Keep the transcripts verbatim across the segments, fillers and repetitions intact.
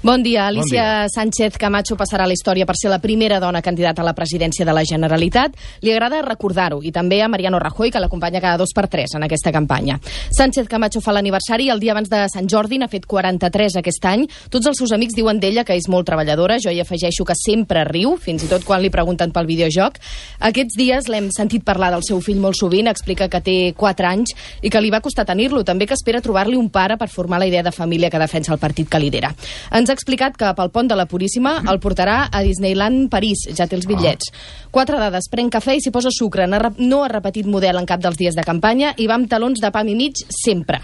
Bon dia. Alicia Bon dia. Sánchez Camacho passarà a la història per ser la primera dona candidata a la presidència de la Generalitat. Li agrada recordar-ho, i també a Mariano Rajoy, que l'acompanya cada dos per tres en aquesta campanya. Sánchez Camacho fa l'aniversari el dia abans de Sant Jordi, n'ha fet quaranta-tres aquest any. Tots els seus amics diuen d'ella que és molt treballadora. Jo hi afegeixo que sempre riu, fins i tot quan li pregunten pel videojoc. Aquests dies l'hem sentit parlar del seu fill molt sovint, explica que té quatre anys i que li va costar tenir-lo, també que espera trobar-li un pare per formar la idea de família que defensa el partit que lidera. Ens ha explicat que pel pont de la Puríssima el portarà a Disneyland París, ja té els bitllets. Quatre dades, pren cafè i s'hi posa sucre, no ha repetit model en cap dels dies de campanya i va amb talons de pam i mig sempre.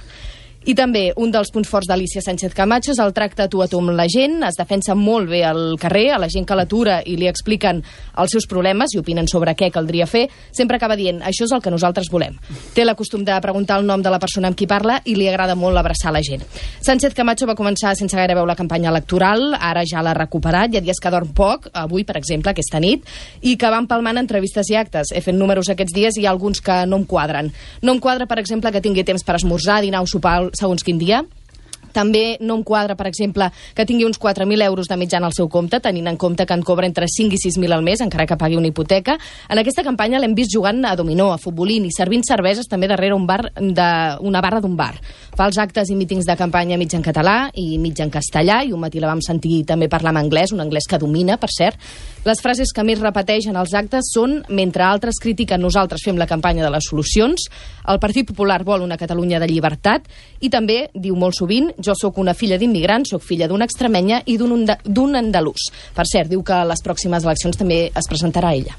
I també un dels punts forts d'Alicia Sánchez Camacho és el tracte tu a tu amb la gent, es defensa molt bé al carrer, a la gent que l'atura i li expliquen els seus problemes i opinen sobre què caldria fer, sempre acaba dient, això és el que nosaltres volem. Té la costum de preguntar el nom de la persona amb qui parla i li agrada molt abraçar la gent. Sánchez Camacho va començar sense gaire veure la campanya electoral, ara ja l'ha recuperat, hi ha dies que dorm poc, avui, per exemple, aquesta nit, i que va empalmant entrevistes i actes. He fet números aquests dies i hi ha alguns que no em quadren. No em quadra, per exemple, que tingui temps per esmorzar, dinar o sopar segons quin dia. També no em quadra, per exemple, que tingui uns quatre mil euros de mitjana al seu compte, tenint en compte que en cobra entre cinc i sis mil al mes, encara que pagui una hipoteca. En aquesta campanya l'hem vist jugant a dominó, a futbolín i servint cerveses també darrere un bar de, una barra d'un bar. Fa els actes i mítings de campanya mig en català i mig en castellà, i un matí la vam sentir també parlar en anglès, un anglès que domina, per cert. Les frases que més repeteix en els actes són, mentre altres critiquen, nosaltres fem la campanya de les solucions, el Partit Popular vol una Catalunya de llibertat, i també diu molt sovint, jo sóc una filla d'immigrants, sóc filla d'una extremenya i d'un andalús. Per cert, diu que a les pròximes eleccions també es presentarà ella.